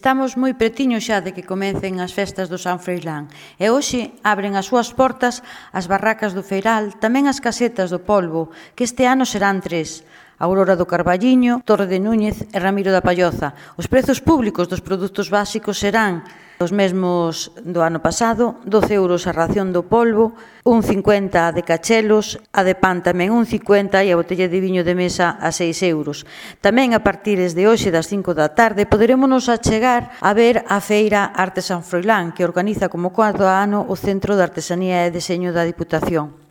Estamos moi pretiños xa de que comecen as festas do San Froilán e hoxe abren as súas portas as barracas do Feiral, tamén as casetas do Polbo, que este ano serán 3. Aurora do Carballiño, Torre de Núñez e Ramiro da Palloza. Os prezos públicos dos produtos básicos serán os mesmos do ano pasado, 12 euros a ración do polvo, 1,50 a de cachelos, a de pan tamén 1,50 e a botella de viño de mesa a 6 euros. Tamén a partir de hoxe das 5 da tarde poderemos achegar a ver a Feira Arte San Froilán, que organiza como cada ano o Centro de Artesanía e Deseño da Diputación.